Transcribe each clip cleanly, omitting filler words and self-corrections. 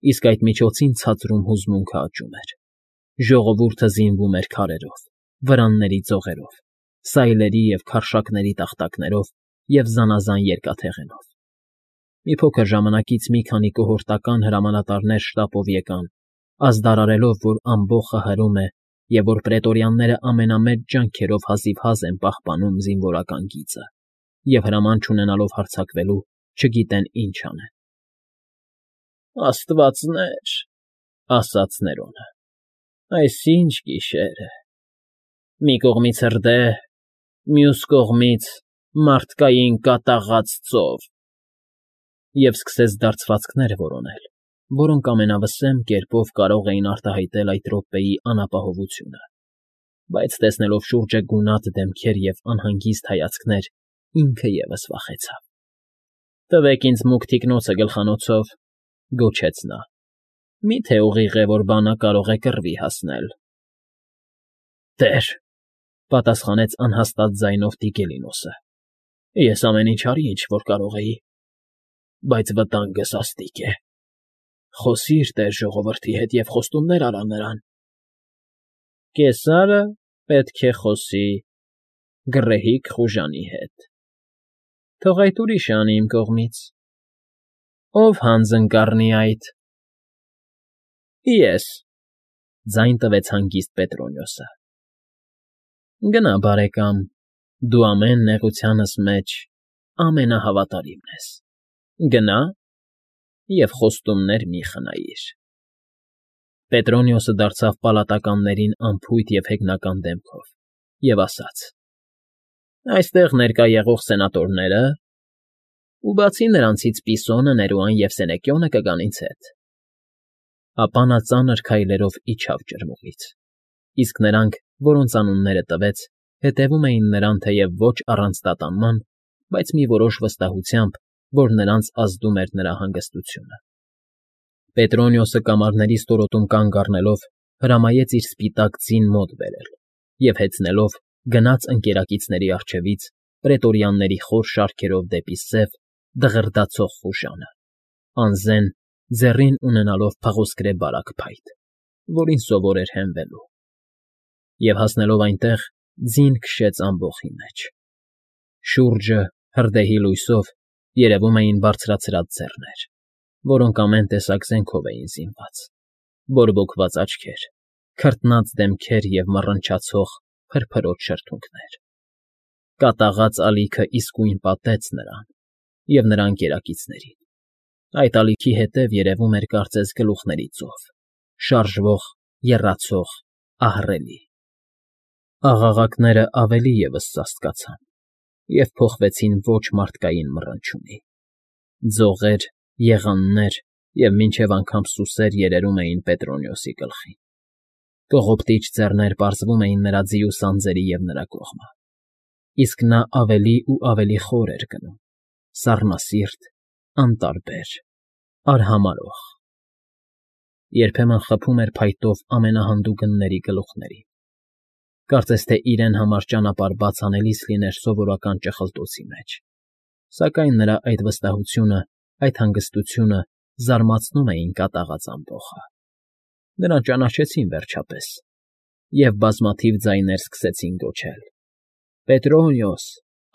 իսկ այդ միջոցին ցածրում հուզմունքը աճում էր։ Ժողովուրդը զինվում էր քարերով, վրանների ձողերով, սայլերի և քարշակների տախտակներով և զանազան երկաթեղենով։ Մի փոքր ժամանակից մի քանի կոհորտական հրամանատարներ շտապով եկան, ազդարարելով, որ ամբոխը հրում է և որ պրետորյանները ամենամեծ ջանքերով հազիվհազ են պահպանում զինվորական գիծը և հրաման չունենալով հարձակվելու, չգիտեն ինչ անեն։ «Աստվածներ,֊ ասաց Ներոնը,֊ այս ի՞նչ գիշեր է… Մի կողմից հրդեհ, մյուս կողմից մարդկային կատաղած ծով»։ Եվ սկսեց դարձվածքներ որոնել, որոնք ամենավսեմ կերպով կարող էին արտահայտել այդ րոպեի անապահովությունը, բայց տեսնելով շուրջը գունատ դեմքեր և անհանգիստ հայացքներ, ինքը ևս վախեցավ։ «Տվեք ինձ մուգ թիկնոցը գլխանոցով,֊ գոչեց նա։֊ Մի՞թե ուղիղ է, որ բանը կարող է կռվի հասնել»։ «Տեր,֊ պատասխանեց անհաստատ ձայնով Տիգելինոսը,֊ ես ամեն ինչ արի, ինչ որ կարող էի, բայց վտանգը սաստիկ է։ Խոսի՛ր տեր ժողովրդի հետ և խոստումներ արա նրան»։ «Կեսարը պետք է խոսի գռեհիկ խուժանի հետ։ Թող այդ ուրիշը անի իմ կողմից։ Ո՞վ հանձն կառնի այդ»։ «Ես,֊ ձայն տվեց հանգիստ Պետրոնիոսը։ «Գնա, բարեկամ, դու ամեն նեղությանս մեջ ամենահավատարիմն ես, գնա և խոստումներ մի՛ խնայիր»։ Պետրոնիոսը դարձավ պալատականներին անփույթ և հեգնական դեմքով և ասաց. «Այստեղ ներկա եղող սենատորները, ու բացի նրանցից Պիսոնը, Ներուան և Սենեկիոնը կգան ինձ հետ»։ Ապա նա ծանր քայլերով իջավ ջրմուղից, իսկ նրանք, որոնց անունները տվեց, հետևում էին նրան թեև ոչ առանց տատանման, բայց մի որոշ վստահությամբ, որ նրանց ազդում էր նրա հանգստությունը։ Պետրոնիոսը կամարների ստորոտում կանգ առնելով հրամայեց իր սպիտակ ձին մոտ բերել և հեծնելով գնաց ընկերակիցների առջևից պրետորյանների խոր շարքերով դեպի սև, դղրդացող խուժանը, անզեն ձեռին ունենալով փղոսկրե բարակ փայտ, որին սովոր էր հենվելու։ Եվ հասնելով այնտեղ, ձին քշեց ամբոխի մեջ։ Շուրջը, հրդեհի լույսով, երևում էին բարձրացրած ձեռներ, որոնք ամեն տեսակ զենքով էին զինված, բորբոքված աչքեր, քրտնած դեմքեր և մռնչացող, փրփրոտ շրթունքներ։ Կատաղած ալիքն իսկույն պատեց նրան և նրա ընկերակիցներին։ Այդ ալիքի հետև երևում էր կարծես գլուխների ծով, շարժվող, եռացող, ահռելի։ Աղաղակներն ավելի ևս սաստկացան և փոխվեցին ոչ մարդկային մռնչյունի։ Ձողեր, եղաններ և մինչև անգամ սուսեր երերում էին Պետրոնիոսի գլխին։ Կողոպտիչ ձեռներ պարզվում էին նրա ձիու սանձերի և նրա կողմը։ Իսկ նա ավելի ու ավելի խոր էր գնում, սառնասիրտ, անտարբեր, արհամարհող։ Երբեմն խփում էր փայտով ամենահանդուգնների գլուխներին, կարծես թե իրեն համար ճանապարհ բաց անելիս լիներ սովորական ճխլտոցի մեջ, սակայն նրա այդ վստահությունը, այդ հանգստությունը զարմացնում էին կատաղած ամբոխը։ Նրան ճանաչեցին վերջապես, և բազմաթիվ ձայներ սկսեցին գոչել. «Պետրոնիոս,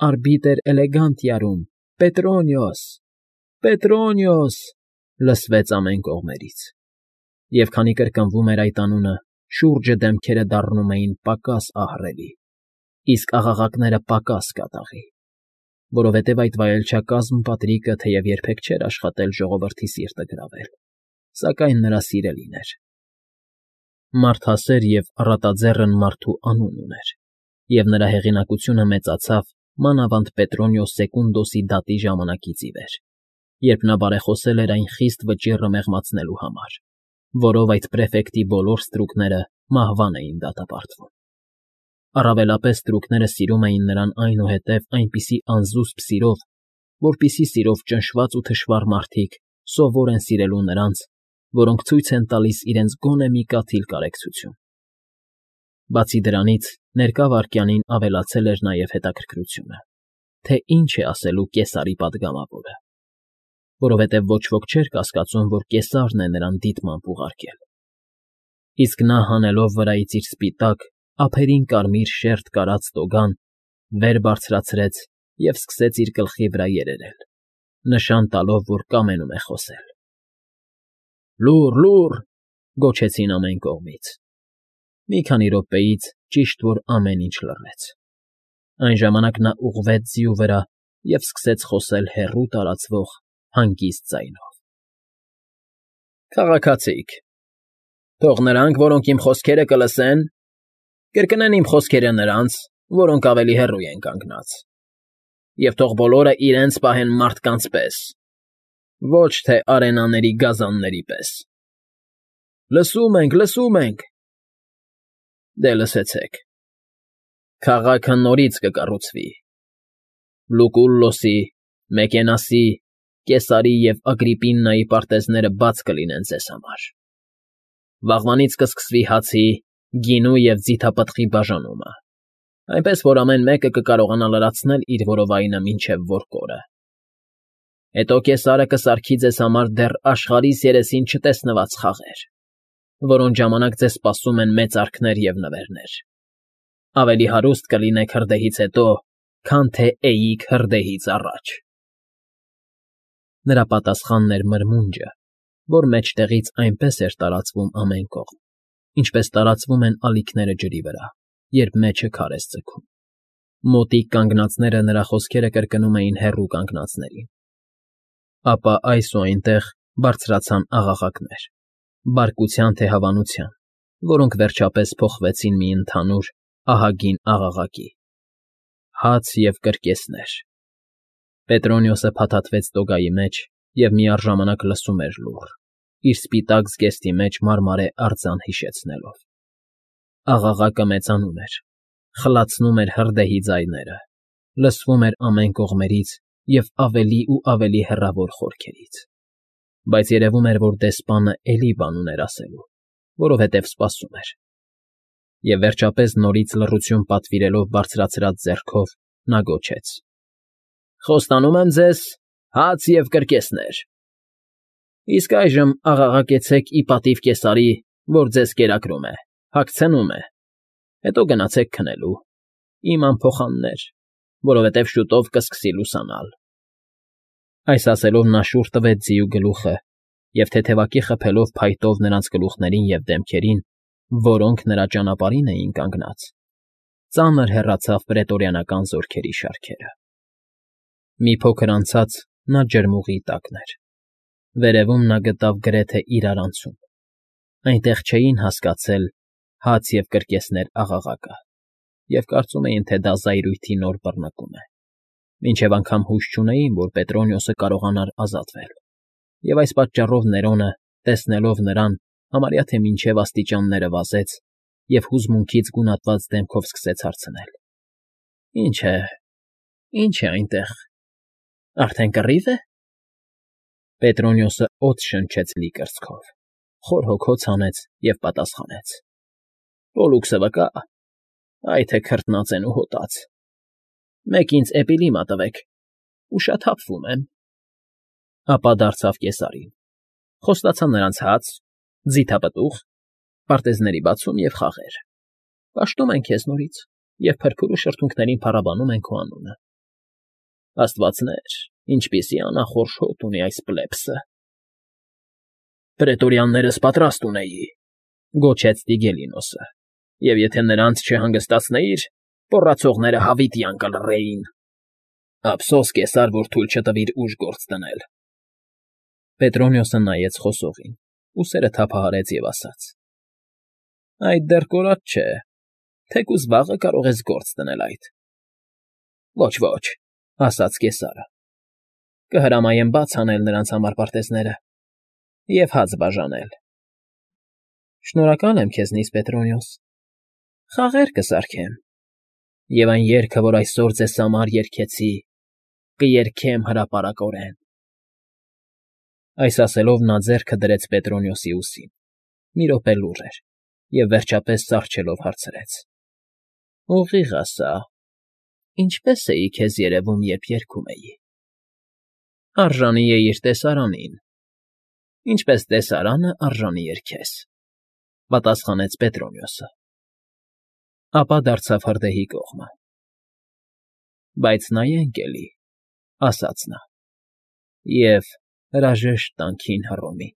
արբիտր էլեգանտիարում, Պետրոնիոս, Պետրոնիոս», լսվեց ամեն կողմերից, և քանի կրկնվում էր այդ անունը, շուրջը դեմքերը դառնում էին պակաս ահռելի, իսկ աղաղակները պակաս կատաղի, որովհետև այդ վայելչակազմ Պատրիկը թեև երբեք չէր աշխատել ժողովրդի սիրտը գրավել, սակայն նրա սիրելին էր։ Մարդասեր և առատաձեռն մարդու անուն ուներ, և նրա հեղինակությունը մեծացավ մանավանդ Պետրոնիոս Սեկունդոսի դատի ժամանակից ի վեր, երբ նա բարեխոսել էր այն խիստ վճիռը մեղմացնելու համար, որով այդ պրեֆեկտի բոլոր ստրուկները մահվան էին դատապարտվում։ Առավելապես ստրուկները սիրում էին նրան այնուհետև այնպիսի անզուսպ սիրով, որպիսի սիրով ճնշված ու թշվառ մարդիկ սովոր են սիրելու նրանց, որոնք ցույց են տալիս իրենց գոնե մի կաթիլ կարեկցություն։ Բացի դրանից, ներկա վայրկյանին ավելացել էր նաև հետաքրքրությունը, թե ինչ է ասելու Կեսարի պատգամավորը։ որովհետև ոչ ոք չէր կասկածում, որ կեսարն է նրան դիտմամբ ուղարկել։ Իսկ նա հանելով վրայից իր սպիտակ, ափերին կարմիր շերտ կարած տոգան, վեր բարձրացրեց և սկսեց իր գլխի վրա երերել, նշան տալով, որ կամենում է խոսել։ «Լուռ, լուռ», գոչեցին ամեն կողմից։ Մի քանի րոպեից ճիշտ որ ամեն ինչ լռեց։ Այն ժամանակ նա ուղղվեց ձիու վրա և սկսեց խոսել հեռու տարածվող հանգիստ ձայնով. «Քաղաքացիք, թող նրանք, որոնք իմ խոսքերը կլսեն, կրկնեն իմ խոսքերը նրանց, որոնք ավելի հեռու են կանգնած, և թող բոլորը իրենց պահեն մարդկանց պես, ոչ թե արենաների գազանների պես։ Լսում ենք, լսում ենք։ Դե լսեցեք. քաղաքը նորից կկառուցվի։ Լուկուլլոսի, Մեկենասի, Կեսարի և Ագրիպիննայի պարտեզները բաց կլինեն ձեզ համար։ Վաղվանից կսկսվի հացի, գինու և ձիթապտղի բաժանումը, այնպես որ ամեն մեկը կկարողանա լրացնել իր որովայնը մինչև որկորը։ Հետո Կեսարը կսարքի ձեզ համար դեռ աշխարհիս երեսին չտեսնված խաղեր, որոնց ժամանակ ձեզ սպասում են մեծարքներ և նվերներ։ Ավելի հարուստ կլինեք հրդեհից հետո, քան թե էիք հրդեհից առաջ։ Նրա պատասխանն էր մրմունջը, որ մեջտեղից այնպես էր տարածվում ամեն կողմ, ինչպես տարածվում են ալիքները ջրի վրա, երբ մեջը քար ես ձգում։ Մոտիկ կանգնածները նրա խոսքերը կրկնում էին հեռու կանգնածներին։ Ապա այս ու այնտեղ բարձրացան աղաղակներ, բարկության թե հավանության, որոնք վերջապես փոխվեցին մի ընդհանուր, ահագին աղաղակի. հաց և կրկեսներ։ Պետրոնիոսը փաթաթվեց տոգայի մեջ և միառժամանակ լսում էր լուռ, իր սպիտակ զգեստի մեջ մարմարե արձան հիշեցնելով։ Աղաղակը մեծանում էր, խլացնում էր հրդեհի ձայները, լսվում էր ամեն կողմերից և ավելի ու ավելի հեռավոր խորքերից։ Բայց երևում էր, որ դեսպանը էլի բան ուներ ասելու, որովհետև սպասում էր։ Եվ վերջապես նորից լռություն պատվիրելով բարձրացրած ձեռքով նա գոչեց. «Խոստանում եմ ձեզ, հաց և կրկեսներ։ Իսկ այժմ աղաղակեցեք ի պատիվ Կեսարի, որ ձեզ կերակրում է, հագցնում է, հետո գնացեք քնելու, իմ անփոխաններ, որովհետև շուտով կսկսի լուսանալ»։ Այս ասելով նա շուռ տվեց ձիու գլուխը և թեթևակի խփելով փայտով նրանց գլուխներին և դեմքերին, որոնք նրա ճանապարհին էին կանգնած, ծանր հեռացավ պրետորիանական զորքերի շարքերը։ Մի փոքր անցած նա ջրմուղի տակն էր։ Վերևում նա գտավ գրեթե իրարանցում։ Այնտեղ չէին հասկացել «հաց և կրկեսներ» աղաղակը և կարծում էին, թե դա զայրույթի նոր բռնկում է, մինչև անգամ հույս չունեին, որ Պետրոնիոսը կարողանար ազատվել, և այս պատճառով Ներոնը, տեսնելով նրան, համարյա թե մինչև աստիճանները վազեց և հուզմունքից գունատված դեմքով սկսեց հարցնել. Ինչ է այնտեղ, արդեն կռի՞վ է։ Պետրոնիոսը օդ շնչեց լի կրծքով, խոր հոգոց հանեց և պատասխանեց. «Պոլլուքսը վկա, այ թե քրտնած են ու հոտած։ Մեկ ինձ էպիլիմա տվեք, ուշաթափվում եմ»։ Ապա դարձավ կեսարին, խոստացավ նրանց հաց, ձիթապտուղ, պարտեզների բացում և խաղեր։ Պաշտում են քեզ նորից և փրփուր ու շրթունքներին փառաբանում են քո անունը։ Աստվածներ, ինչպիսի անախորժ հոտ ունի այս պլեբսը։ «Պրետորյաններս պատրաստ ունեի», գոչեց Տիգելինոսը, «և եթե նրանց չհանգստացնեիր, մոռացողները հավիտյան կլռեին։ Ափսոս, Կեսար, որ թույլ չտվիր ուժ գործ դնել»։ Պետրոնիոսը նայեց խոսողին, ուսերը թափահարեց և ասաց. «Այդ դեռ կորած չէ, թեկուզ վաղը կարող ես գործ դնել այդ»։ «Ոչ, ասաց Կեսարը, կհրամայեմ բաց հանել նրանց համար պարտեզները և հաց բաժանել»։ «Շնորհակալ եմ քեզնից, Պետրոնիոս, խաղեր կսարքեմ, և այն երգը, որ այսօր ձեզ համար երգեցի, կերգեմ հրապարակորեն»։ Այս ասելով նա ձեռքը դրեց Պետրոնիոսի ուսին, մի րոպե լուռ էր և վերջապես սառչելով հարցրեց. «Ուղիղ ասա, ինչպե՞ս էի քեզ երևում, երբ երգում էի»։ Արժանի է իր տեսարանին, ինչպես տեսարանը արժանի էր քեզ, ֊ պատասխանեց Պետրոնիոսը, ապա դարձավ հրդեհի կողմը։ ֊ Բայց նայենք էլի, ֊ ասաց նա, ֊ և հրաժեշտ տանք հին Հռոմին։